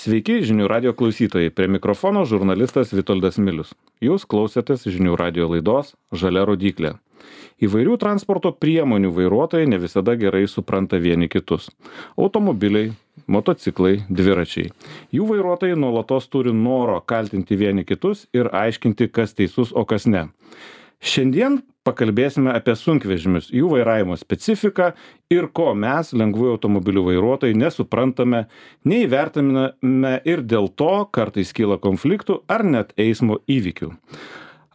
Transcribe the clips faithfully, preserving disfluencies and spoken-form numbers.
Sveiki, žinių radio klausytojai. Prie mikrofono žurnalistas Vitoldas Milius. Jūs klausėtės žinių radio laidos Žalia rodyklė. Įvairių transporto priemonių vairuotojai ne visada gerai supranta vieni kitus. Automobiliai, motociklai, dviračiai. Jų vairuotojai nuolatos turi noro kaltinti vieni kitus ir aiškinti, kas teisus, o kas ne. Šiandien pakalbėsime apie sunkvežimius, jų vairavimo specifiką ir ko mes, lengvųjų automobilių vairuotojai, nesuprantame, neįvertiname ir dėl to kartais kyla konfliktų ar net eismo įvykių.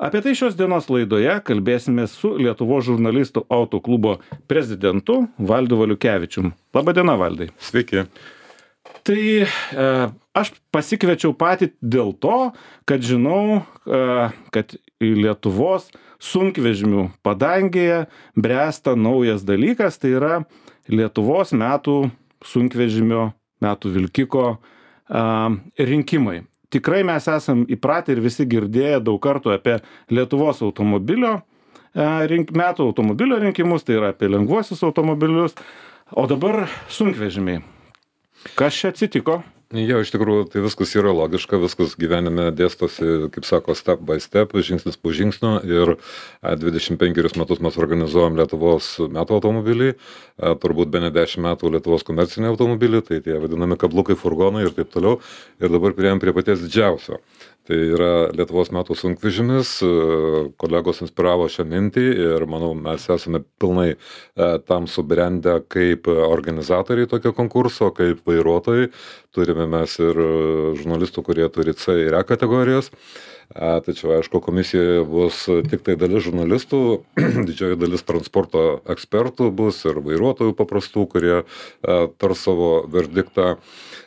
Apie tai šios dienos laidoje kalbėsime su Lietuvos žurnalistų autoklubo prezidentu Valdu Valiukevičium. Labadiena, Valdai. Sveiki. Tai e, aš pasikviečiau patį dėl to, kad žinau, e, kad į Lietuvos sunkvežimių padangėje bręsta naujas dalykas, tai yra Lietuvos metų sunkvežimio, metų vilkiko a, rinkimai. Tikrai mes esam įpratę ir visi girdėję daug kartų apie Lietuvos automobilio, a, rink, metų automobilio rinkimus, tai yra apie lengvuosius automobilius, o dabar sunkvežimiai. Kas čia atsitiko? Jo, iš tikrųjų, tai viskas yra logiška, viskas gyvenime dėstosi, kaip sako, step by step, žingsnis po žingsnio ir dvidešimt penkerius metus mes organizuojam Lietuvos metų automobilį, turbūt bene dešimt metų Lietuvos komercinį automobilį, tai tie vadinami kablukai, furgonai ir taip toliau. Ir dabar priėjom prie paties didžiausio. Tai yra Lietuvos metų sunkvežimis, kolegos inspiravo šią mintį ir manau, mes esame pilnai tam subrendę kaip organizatoriai tokio konkurso, kaip vairuotojai. Turime mes ir žurnalistų, kurie turi C ir E kategorijas. Tačiau, aišku, komisijoje bus tik tai dalis žurnalistų, didžioji dalis transporto ekspertų bus ir vairuotojų paprastų, kurie tars savo verdiktą.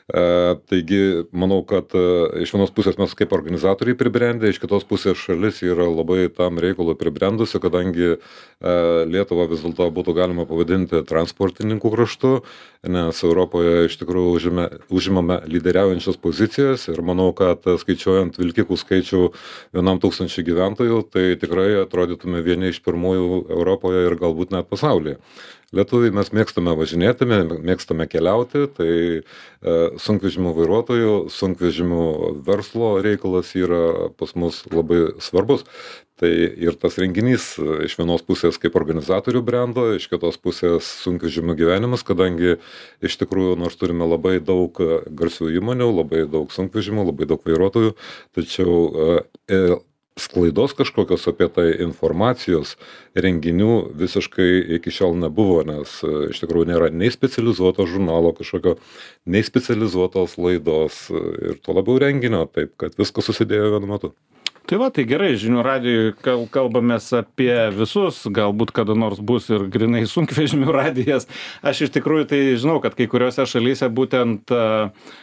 Taigi, manau, kad iš vienos pusės mes kaip organizatoriai pribrendę, iš kitos pusės šalis yra labai tam reikalui pribrendusi, kadangi Lietuvą vis dėlto būtų galima pavadinti transportininkų kraštu, nes Europoje iš tikrųjų užime, užimame lyderiaujančias pozicijas ir manau, kad skaičiuojant vilkikų skaičių vienam tūkstančiui gyventojų, tai tikrai atrodytume vieni iš pirmųjų Europoje ir galbūt net pasaulyje. Lietuviai mes mėgstame važinėti, mėgstame keliauti, tai e, sunkvežimių vairuotojų, sunkvežimių verslo reikalas yra pas mus labai svarbus. Tai ir tas renginys iš vienos pusės kaip organizatorių brendo, iš kitos pusės sunkvežimių gyvenimas, kadangi iš tikrųjų nors turime labai daug garsių įmonių, labai daug sunkvežimių, labai daug vairuotojų, tačiau e, sklaidos kažkokios apie tai informacijos renginių visiškai iki šiol nebuvo, nes iš tikrųjų nėra nei specializuoto žurnalo kažkokio, nei specializuotos laidos ir tuo labiau renginio, taip kad viskas susidėjo vienu metu. Tai va, tai gerai, žinių radijui kalbamės apie visus, galbūt kada nors bus ir grinai sunkvežimių radijas. Aš iš tikrųjų tai žinau, kad kai kuriuose šalyse būtent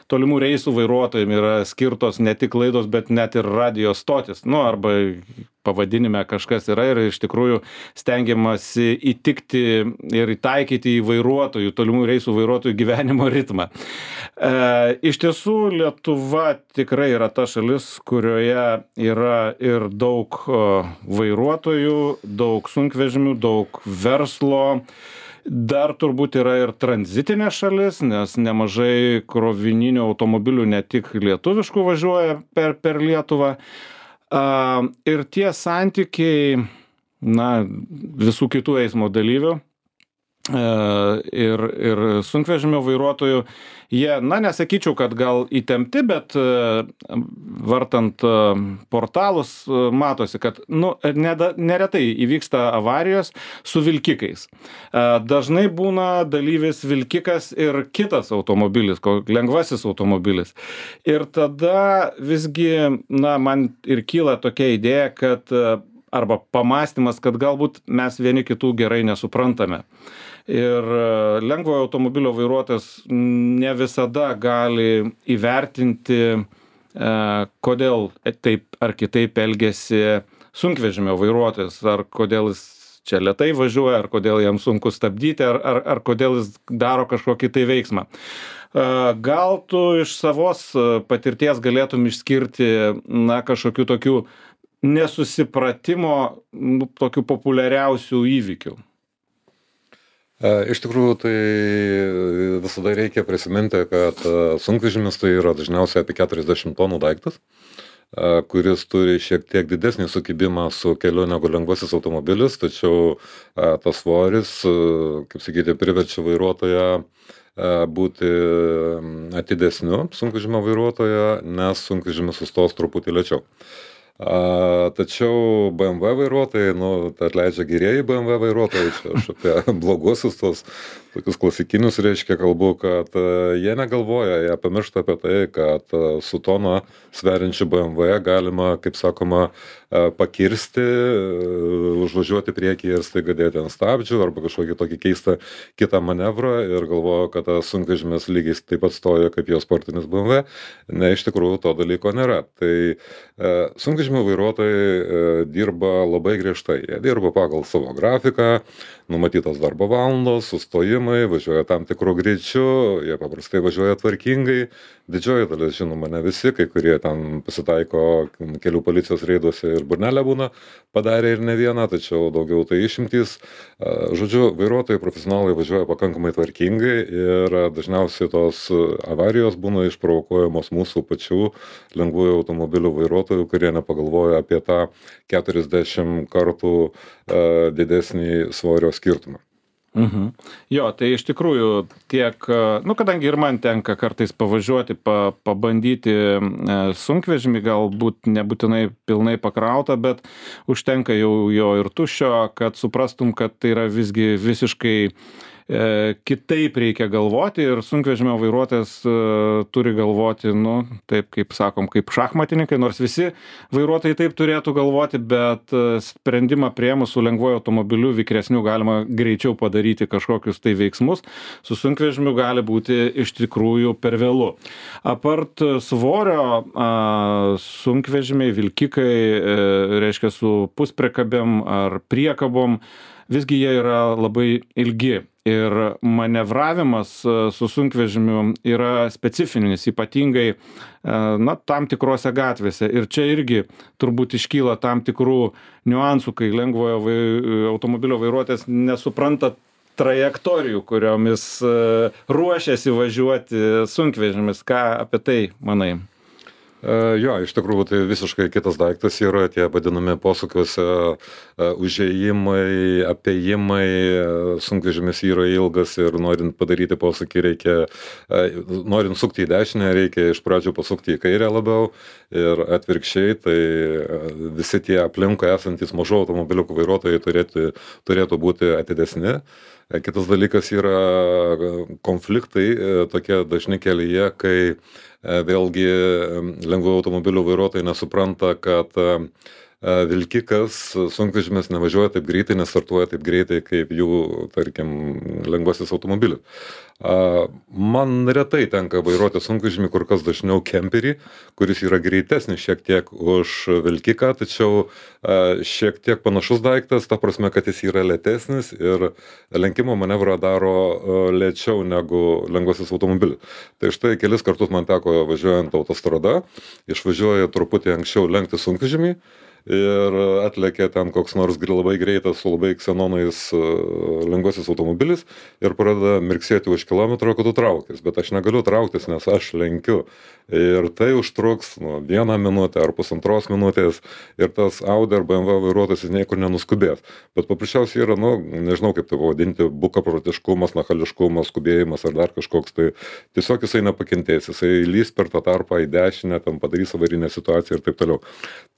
tolimų reisų vairuotojams yra skirtos ne tik laidos, bet net ir radijo stotis. Nu, arba pavadinime kažkas yra ir iš tikrųjų stengiamasi įtikti ir įtaikyti į vairuotojų, tolimų reisų vairuotojų gyvenimo ritmą. E, iš tiesų, Lietuva tikrai yra ta šalis, kurioje yra ir daug vairuotojų, daug sunkvežimių, daug verslo. Dar turbūt yra ir tranzitinė šalis, nes nemažai krovininių automobilių ne tik lietuviškų važiuoja per, per Lietuvą. Uh, ir tie santykiai, na, visų kitų eismo dalyvių uh, ir, ir sunkvežimio vairuotojų, jie, na, nesakyčiau, kad gal įtempti, bet uh, vartant uh, portalus uh, matosi, kad, nu, neda, neretai įvyksta avarijos su vilkikais. Uh, dažnai būna dalyvis vilkikas ir kitas automobilis, lengvasis automobilis. Ir tada visgi, na, man ir kyla tokia idėja, kad uh, arba pamąstymas, kad galbūt mes vieni kitų gerai nesuprantame. Ir lengvojo automobilio vairuotojas ne visada gali įvertinti, kodėl taip ar kitaip elgiasi sunkvežimio vairuotojas, ar kodėl jis čia lėtai važiuoja, ar kodėl jam sunku stabdyti, ar, ar, ar kodėl jis daro kažkokį tai veiksmą. Gal tu iš savos patirties galėtum išskirti, na, kažkokių tokių nesusipratimo, nu, tokių populiariausių įvykių? Iš tikrųjų, tai visada reikia prisiminti, kad sunkvežimis tai yra dažniausiai apie keturiasdešimt tonų daiktas, kuris turi šiek tiek didesnį sukibimą su keliu negu lengvasis automobilis, tačiau tas svoris, kaip sakyti, priverčia vairuotoją būti atidesniu sunkvežimio vairuotoją, nes sunkvežimis sustos truputį lėčiau. A, tačiau B M W vairuotojai, nu, tai atleidžia gerieji B M W vairuotojai, čia aš apie bloguosius tos tokius klasikinius, reiškia, kalbu, kad uh, jie negalvoja, jie pamiršta apie tai, kad uh, su toną sveriančiu B M W galima, kaip sakoma, uh, pakirsti, uh, užvažiuoti priekį ir staiga dėti ant stabdžių arba kažkokį tokį keistą kitą manevrą ir galvoja, kad tas sunkvežimis lygiai taip pat stoja kaip jo sportinis B M W. Ne, iš tikrųjų to dalyko nėra. Tai uh, sunkvežimio vairuotojai uh, dirba labai griežtai. Jie dirba pagal savo grafiką, numatytos darbo valandos, sustojimai, važiuoja tam tikrų greičių, jie paprastai važiuoja tvarkingai, didžioji dalis, žinoma, ne visi, kai kurie ten pasitaiko kelių policijos reiduose ir burnelę būna padarė ir ne vieną, tačiau daugiau tai išimtys. Žodžiu, vairuotojai profesionalai važiuoja pakankamai tvarkingai ir dažniausiai tos avarijos būna išprovokuojamos mūsų pačių lengvųjų automobilių vairuotojų, kurie nepagalvoja apie tą keturiasdešimt kartų didesnį svorio skirtumą. Mhm. Jo, tai iš tikrųjų tiek, nu, kadangi ir man tenka kartais pavažiuoti, pa, pabandyti sunkvežimį, galbūt nebūtinai pilnai pakrautą, bet užtenka jau jo ir tuščio, kad suprastum, kad tai yra visgi visiškai e, kitaip reikia galvoti ir sunkvežimio vairuotojas e, turi galvoti, nu, taip kaip sakom, kaip šachmatininkai, nors visi vairuotojai taip turėtų galvoti, bet sprendimą priėmus su lengvuoju automobiliu vikresniu galima greičiau padaryti kažkokius tai veiksmus, su sunkvežimiu gali būti iš tikrųjų per vėlu. Apart svorio, a, sunkvežimiai, vilkikai, e, reiškia su puspriekabėm ar priekabom, visgi jie yra labai ilgi. Ir manevravimas su sunkvežimiu yra specifinis, ypatingai na, tam tikrose gatvėse. Ir čia irgi turbūt iškyla tam tikrų niuansų, kai lengvojo vai, automobilio vairuotojas nesupranta trajektorijų, kuriomis ruošiasi važiuoti sunkvežimis. Ką apie tai manai? Jo, iš tikrųjų tai visiškai kitas daiktas yra tie vadinami posūkiuose užėjimai, apėjimai, sunkvežimis yra ilgas ir norint padaryti posūkį reikia, norint sukti į dešinę, reikia iš pradžių pasukti į kairę labiau ir atvirkščiai, tai visi tie aplinkui esantys mažų automobiliukų vairuotojai turėtų, turėtų būti atidesni. Kitas dalykas yra konfliktai tokie dažni kelyje, kai vėlgi lengvųjų automobilių vairuotojai nesupranta, kad vilkikas, sunkvežimis nevažiuoja taip greitai, nestartuoja taip greitai, kaip jų, tarkim, lengvasis automobilis. Man retai tenka vairuoti sunkvežimį, kur kas dažniau kemperį, kuris yra greitesnis šiek tiek už vilkiką, tačiau šiek tiek panašus daiktas, ta prasme, kad jis yra lėtesnis ir lenkimo manevrą daro lėčiau negu lengvasis automobilis. Tai štai kelis kartus man teko važiuojant autostrada, išvažiuoja truputį anksčiau lenkti sunkvežimį, ir atlėkė ten koks nors labai greitas su labai ksenonais lengvasis automobilis ir pradeda mirksėti už kilometro, kad tu traukis, bet aš negaliu trauktis, nes aš lenkiu ir tai užtruks nu, vieną minutę ar pusantros minutės ir tas Audi ar B M W vairuotojas niekur nenuskubės, bet paprasčiausiai yra, nu, nežinau kaip tai vadinti, bukaprotiškumas, nachališkumas, skubėjimas ar dar kažkoks, tai tiesiog jisai nepakentės, jisai lys per tą tarpą į dešinę, tam padarys avarinę situaciją ir taip toliau.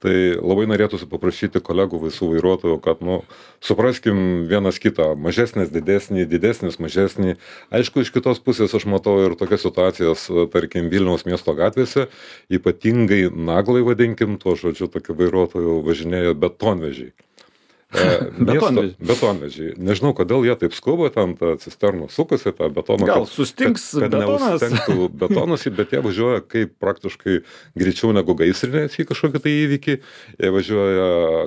Tai labai norėtųsi paprašyti kolegų visų vairuotojų, kad, nu, supraskim vienas kitą, mažesnis, didesnį, didesnis, mažesnį. Aišku, iš kitos pusės aš matau ir tokias situacijas, tarkim, Vilniaus miesto gatvėse, ypatingai naglai vadinkim, tuo žodžiu, tokių vairuotojų važinėjo betonvežiai. Betonvežiai. Betonvežiai. Nežinau, kodėl jie taip skuba, ten ta cisterna sukasi, tą betoną. Gal sustings kad, kad betonas? Neustengtų betonas, bet jie važiuoja kaip praktiškai greičiau negu gaisrinės į kažkokį tai įvykį. Jie važiuoja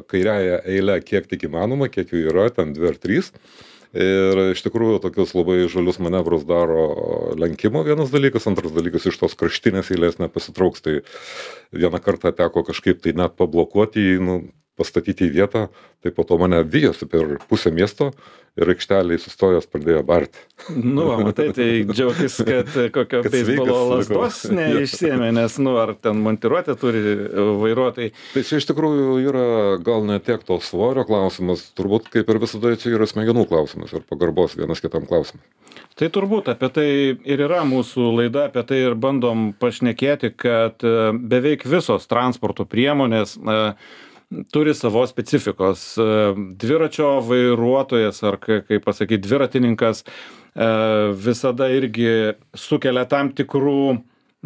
kairiąją eilę kiek tik įmanoma, kiek jų yra, ten dvi ar trys. Ir iš tikrųjų tokius labai žalius manevrus daro lenkimo vienas dalykas, antras dalykas iš tos kraštinės eilės nepasitrauks. Tai vieną kartą teko kažkaip tai net pablokuoti, nu, pastatyti į vietą, tai po to mane vijosi per pusę miesto ir aikšteliai sustojęs pradėjo barti. Nu, va, matai, tai džiaugtis, kad kokio Kad beisbolo sveikas likau. lasdos neišsiėmė, nes, nu, ar ten montiruotę turi vairuotojai. Tai čia iš tikrųjų yra gal ne tiek to svorio klausimas, turbūt kaip ir visada čia yra smegenų klausimas ir pagarbos vienas kitam klausimas. Tai turbūt apie tai ir yra mūsų laida, apie tai ir bandom pašnekėti, kad e, beveik visos transporto priemonės e, turi savo specifikos. E, Dviračio vairuotojas ar, ka- kaip pasakyti, dviratininkas e, visada irgi sukelia tam tikrų,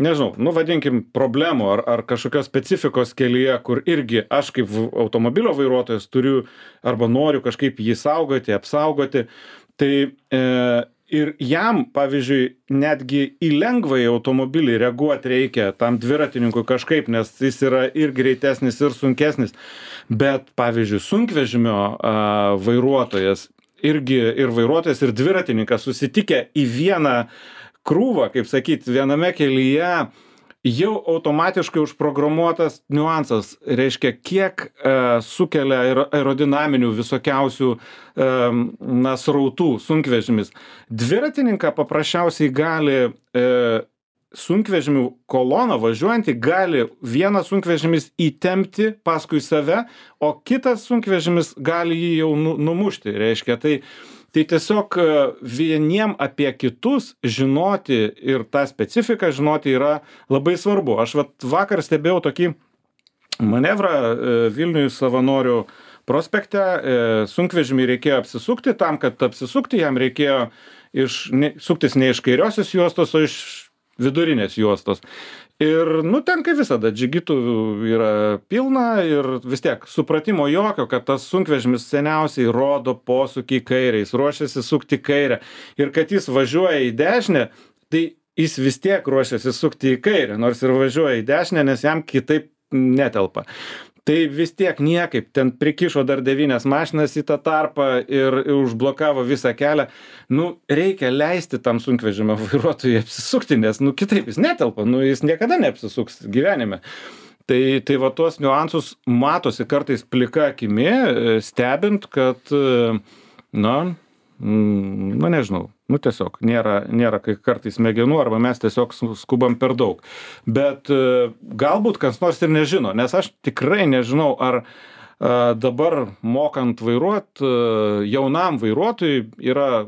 nežinau, nu vadinkim, problemų ar, ar kažkokios specifikos kelyje, kur irgi aš kaip v- automobilio vairuotojas turiu arba noriu kažkaip jį saugoti, apsaugoti. Tai e, ir jam, pavyzdžiui, netgi į lengvąjį automobilį reaguoti reikia tam dviratininkui kažkaip, nes jis yra ir greitesnis, ir sunkesnis. Bet, pavyzdžiui, sunkvežimio a, vairuotojas irgi ir vairuotojas, ir dviratininkas susitikę į vieną krūvą, kaip sakyt, viename kelyje, jau automatiškai užprogramuotas niuansas, reiškia, kiek e, sukelia aero- aerodinaminių visokiausių e, na, srautų sunkvežimis. Dviratininką paprasčiausiai gali e, sunkvežimių koloną važiuojantį gali vienas sunkvežimis įtempti paskui save, o kitas sunkvežimis gali jį jau nu, numušti. Reiškia, tai Tai tiesiog e, vieniem apie kitus žinoti ir tą specifiką žinoti yra labai svarbu. Aš vat vakar stebėjau tokį manevrą e, Vilniuje Savanorių prospekte. E, Sunkvežimį reikėjo apsisukti, tam, kad apsisukti jam reikėjo iš, ne, suktis ne iš kairiosios juostos, o iš vidurinės juostos. Ir, nu, ten kaip visada, džigitų yra pilna ir vis tiek supratimo jokio, kad tas sunkvežimis seniausiai rodo posūkį į kairę, jis ruošiasi sukti į kairę. Ir kad jis važiuoja į dešinę, tai jis vis tiek ruošiasi sukti į kairę, nors ir važiuoja į dešinę, nes jam kitaip netelpa. Tai vis tiek niekaip, ten prikišo dar devynias mašinas į tą tarpą ir, ir užblokavo visą kelią. Nu, reikia leisti tam sunkvežimio vairuotojui apsisukti, nes, nu, kitaip jis netelpa, nu, jis niekada neapsisuks gyvenime. Tai, tai va tuos niuansus matosi kartais plika akimi, e, stebint, kad, e, na, mm, nu, nežinau, nu, tiesiog nėra, nėra kai kartais smegenų arba mes tiesiog su- skubam per daug. Bet e, galbūt kas nors ir nežino, nes aš tikrai nežinau, ar e, dabar mokant vairuot, e, jaunam vairuotojui yra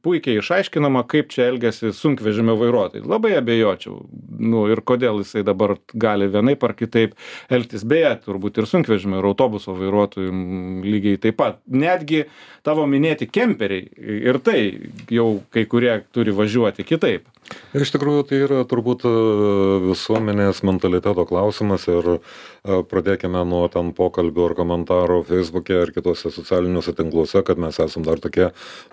puikiai išaiškinama, kaip čia elgiasi sunkvežimio vairuotojai. Labai abejočiau. Nu, ir kodėl jisai dabar gali vienaip ar kitaip elgtis. Beje, turbūt ir sunkvežimio, ir autobuso vairuotojų mm, lygiai taip pat. Netgi tavo minėti kemperiai ir tai jau kai kurie turi važiuoti kitaip. Iš tikrųjų, tai yra turbūt e, visuomenės mentaliteto klausimas ir e, pradėkime nuo ten pokalbių ar komentarų Facebook'e ar kitose socialiniuose tinkluose, kad mes esam dar tokie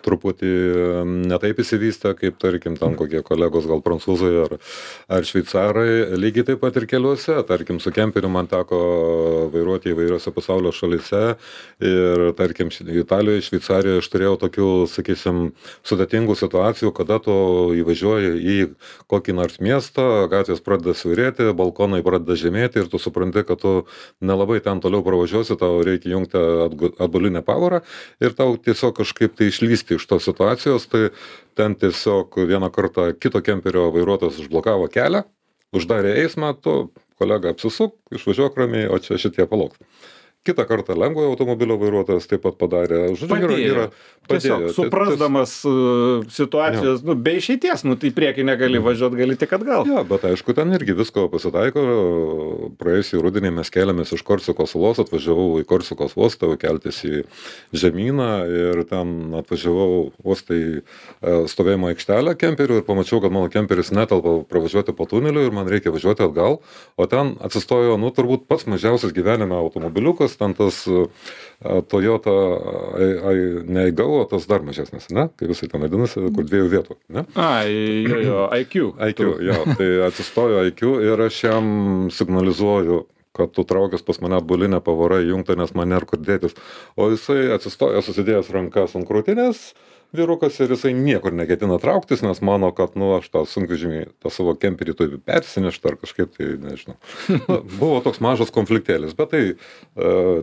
truputį e, netaip įsivystę, kaip tarkim ten kokie kolegos gal prancūzai ar, ar šveicarai. Lygiai taip pat ir keliuose, tarkim su kemperiu man teko vairuoti įvairiose pasaulio šalyse ir tarkim Italijoje, Šveicarijoje aš turėjau tokių, sakysim, sudėtingų situacijų, kada tu įvažiuoji į kokį nors miestą, gatvės pradeda siaurėti, balkonai pradeda žemėti ir tu supranti, kad tu nelabai ten toliau pravažiuosi, tau reikia jungti atgu- atbulinę pavarą ir tau tiesiog kažkaip tai išlysti iš tos situacijos, tai ten tiesiog vieną kartą kito kemperio vairuotojas užblokavo kelią, uždarė eismą, tu kolega apsisuk, išvažiuok ramiai, o čia šitie palauks. Kitą kartą lengvojo automobilio vairuotojas taip pat padarė. Žodžiu, yra, Padėjo. yra, Tiesiog padėjo. suprasdamas uh, situacijos, nu, be išeities, nu, tai į priekį negali važiuoti, gali tik atgal. Jo, bet aišku, ten irgi visko pasitaiko. Praėjusį rudenį mes keliamės iš Korsikos salos, atvažiavau į Korsikos uostą, keltis į žemyną ir ten atvažiavau uostą į e, stovėjimo aikštelę kemperių ir pamačiau, kad mano kemperis netelpa pravažiuoti po tuneliu ir man reikia važiuoti atgal, o ten atsistojo, nu, turbūt pats mažiausias gyvenime automobiliukas, ten tas e, Toyota, ai, ai, ne Aygo, o tas dar mažesnis, ne? Kaip jisai ten vadinasi, kur dviejų vietų, ne? Ai, jo, jo, I Q. I Q, jo, tai atsistojo I Q ir aš jam signalizuoju kad tu traukęs pas mane atbulinę pavara įjungta, nes man nėra kur dėtis. O jisai atsistoja susidėjęs rankas ant krūtinės, vyrukas, ir jisai niekur neketina trauktis, nes mano, kad, nu, aš tą sunkvežimį, tą savo kemperį turi persinešti ar kažkaip, tai nežinau. Na, buvo toks mažas konfliktėlis, bet tai e,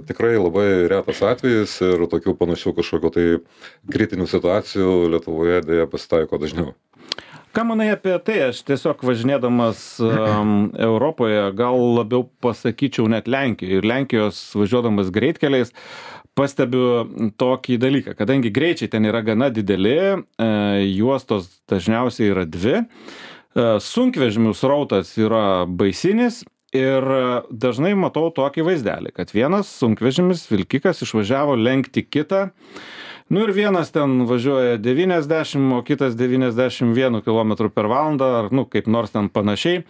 tikrai labai retas atvejis ir tokių panašių kažkokio tai kritinių situacijų Lietuvoje dėja pasitaiko dažniau. Ką manai apie tai? Aš tiesiog važinėdamas um, Europoje, gal labiau pasakyčiau net Lenkijoje, ir Lenkijos važiuodamas greitkeliais, pastebiu tokį dalyką, kadangi greičiai ten yra gana dideli, e, juostos dažniausiai yra dvi, e, sunkvežimių srautas yra baisinis ir dažnai matau tokį vaizdelį, kad vienas sunkvežimis, vilkikas, išvažiavo lenkti kitą, nu ir vienas ten važiuoja devyniasdešimt, o kitas devyniasdešimt vienas kilometrų per valandą, ar nu kaip nors ten panašiai.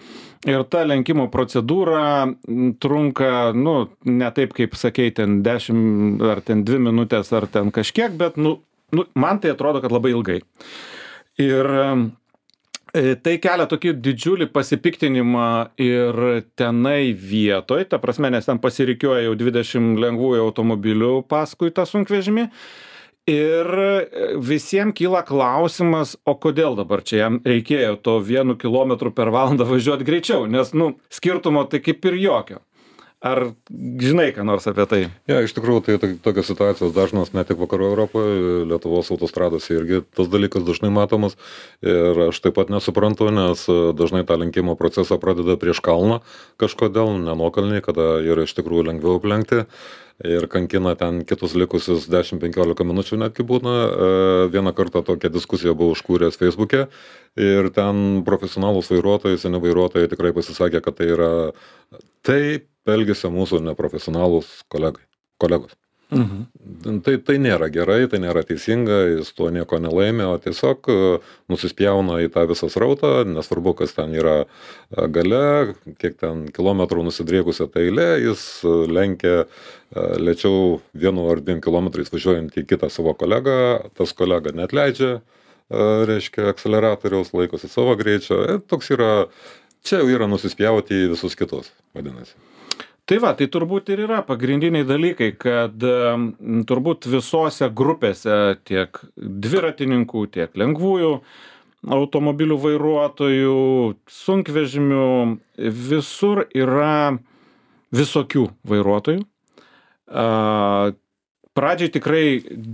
Ir ta lenkimo procedūra trunka, nu, ne taip kaip sakei, ten dešimt ar ten dvi minutės ar ten kažkiek, bet, nu, nu man tai atrodo, kad labai ilgai. Ir e, tai kelia tokį didžiulį pasipiktinimą ir tenai vietoj, ta prasme, nes ten pasirikiuoja jau dvidešimt lengvųjų automobilių paskui tą sunkvežimį. Ir visiems kyla klausimas, o kodėl dabar čia jam reikėjo to vienu kilometru per valandą važiuoti greičiau, nes, nu, skirtumo tai kaip ir jokio. Ar žinai ką nors apie tai? Ja, iš tikrųjų, tai tokios situacijos dažnos ne tik vakarų Europoje, Lietuvos autostradose irgi tas dalykas dažnai matomas. Ir aš taip pat nesuprantu, nes dažnai tą lenkimo procesą pradeda prieš kalną kažkodėl, nenuokalniai, kada yra iš tikrųjų lengviau aplenkti. Ir kankina ten kitus likusius dešimt penkiolika minučių netgi būna. Vieną kartą tokią diskusiją buvau užkūręs Facebook'e ir ten profesionalūs vairuotojai, seni vairuotojai tikrai pasisakė, kad tai yra taip elgesio mūsų neprofesionalūs kolegai, kolegos. Mhm. Tai, tai nėra gerai, tai nėra teisinga, jis tuo nieko nelaimė, o tiesiog nusispjauna į tą visą srautą, nesvarbu, kas ten yra gale, kiek ten kilometrų nusidriekusią tą eilę, jis lenkia lėčiau vienu ar dviem kilometrais važiuojant į kitą savo kolegą, tas kolega neatleidžia, reiškia, akceleratoriaus, laikosi savo greičio, toks yra, čia jau yra nusispjauti į visus kitus, vadinasi. Tai va, tai turbūt ir yra pagrindiniai dalykai, kad turbūt visose grupėse tiek dviratininkų, tiek lengvųjų automobilių vairuotojų, sunkvežimių, visur yra visokių vairuotojų. Pradžiai tikrai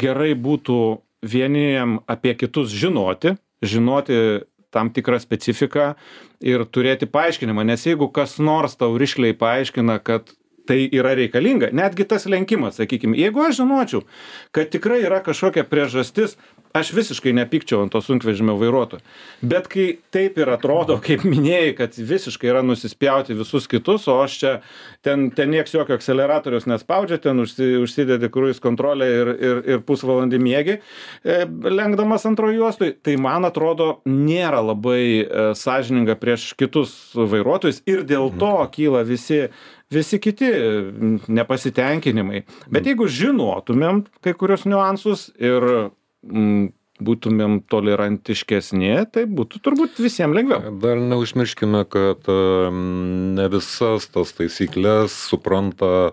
gerai būtų vieniem apie kitus žinoti, žinoti tam tikrą specifiką ir turėti paaiškinimą, nes jeigu kas nors tau rišliai paaiškina, kad tai yra reikalinga, netgi tas lenkimas, sakykime, jeigu aš žinočiau, kad tikrai yra kažkokia priežastis, aš visiškai nepykčiau ant to sunkvežimio vairuotojo. Bet kai taip ir atrodo, kaip minėjai, kad visiškai yra nusispjauti visus kitus, o aš čia ten, ten nieks jokio akceleratorius nespaudžia, ten užsi, užsidedi cruise kontrolę ir, ir, ir pusvalandį miegi, e, lenkdamas antrojo juostui, tai man atrodo nėra labai e, sąžininga prieš kitus vairuotojus ir dėl to kyla visi visi kiti nepasitenkinimai. Bet jeigu žinotumėm kai kurios niuansus ir mm, būtumėm tolerantiškesni, tai būtų turbūt visiems lengviau. Dar neužmirškime, kad ne visas tas taisyklės supranta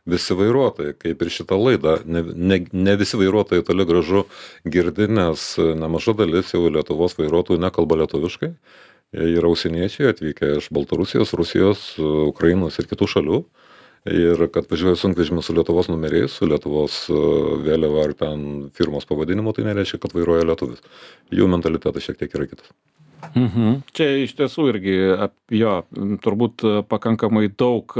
visi vairuotojai, kaip ir šitą laidą. Ne, ne, ne visi vairuotojai toli gražu girdi, nes nemaža dalis jau Lietuvos vairuotojų nekalba lietuviškai. Jie yra užsieniečiai atvykę iš Baltarusijos, Rusijos, Ukrainos ir kitų šalių. Ir kad važiuoja sunkvežimis su Lietuvos numeriais, su Lietuvos vėliava ar ten firmos pavadinimu, tai nereiškia, kad vairuoja lietuvis. Jų mentalitetas šiek tiek yra kitas. Mhm. Čia iš tiesų irgi, jo, turbūt pakankamai daug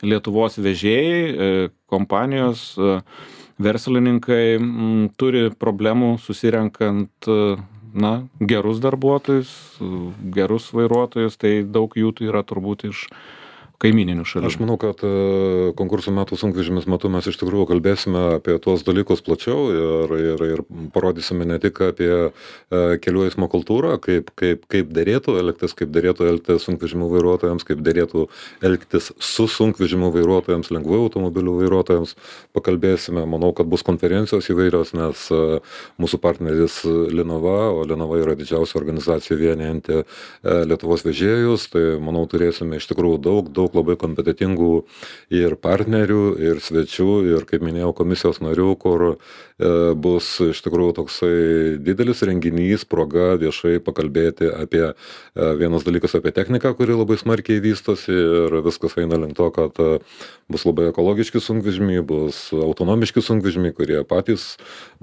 Lietuvos vežėjai, kompanijos, verslininkai turi problemų susirenkant na, gerus darbuotojus, gerus vairuotojus, tai daug jų tai yra turbūt iš kaimininių šalių. Aš manau, kad konkursų metų sunkvežimis metu mes iš tikrųjų kalbėsime apie tuos dalykus plačiau ir, ir, ir parodysime ne tik apie kelių eismo kultūrą, kaip, kaip, kaip derėtų elgtis, kaip derėtų elgtis sunkvežimių vairuotojams, kaip derėtų elgtis su sunkvežimių vairuotojams, lengvųjų automobilių vairuotojams. Pakalbėsime, manau, kad bus konferencijos įvairios, nes mūsų partneris Linava, o Linava yra didžiausia organizacija vienijanti Lietuvos vežėjus, tai manau turėsime iš tikrųjų daug, daug daug labai kompetentingų ir partnerių, ir svečių, ir, kaip minėjau, komisijos narių, kur e, bus iš tikrųjų toksai didelis renginys, proga viešai pakalbėti apie e, vienas dalykas apie techniką, kuri labai smarkiai vystosi ir viskas eina link to, kad e, bus labai ekologiški sunkvežimiai, bus autonomiški sunkvežimiai, kurie patys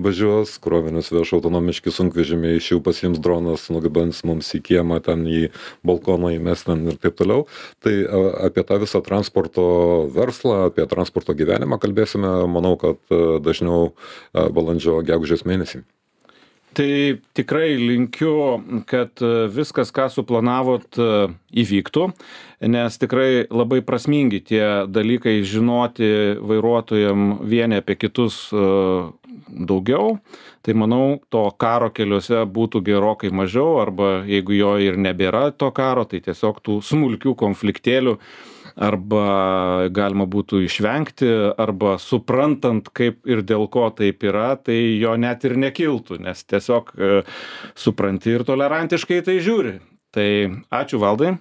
važiuos, krovinius veš autonomiški sunkvežimiai, iš jų pasiims dronas, nugabens mums į kiemą, ten į balkoną įmes ten ir taip toliau. Tai a, apie tą visą transporto verslą, apie transporto gyvenimą kalbėsime, manau, kad a, dažniau a, balandžio gegužės mėnesį. Tai tikrai linkiu, kad viskas, ką suplanavot, įvyktų, nes tikrai labai prasmingi tie dalykai žinoti vairuotojam vieni apie kitus daugiau. Tai manau, to karo keliuose būtų gerokai mažiau, arba jeigu jo ir nebėra to karo, tai tiesiog tų smulkių konfliktėlių arba galima būtų išvengti, arba suprantant, kaip ir dėl ko taip yra, tai jo net ir nekiltų, nes tiesiog e, supranti ir tolerantiškai tai žiūri. Tai ačiū, Valdai.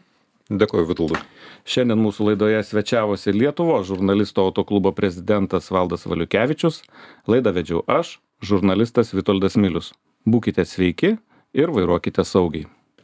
Dėkuoju, Vitoldai. Šiandien mūsų laidoje svečiavosi Lietuvos žurnalistų autoklubo prezidentas Valdas Valiukevičius. Laidą vedžiau aš, žurnalistas Vitoldas Milius. Būkite sveiki ir vairuokite saugiai.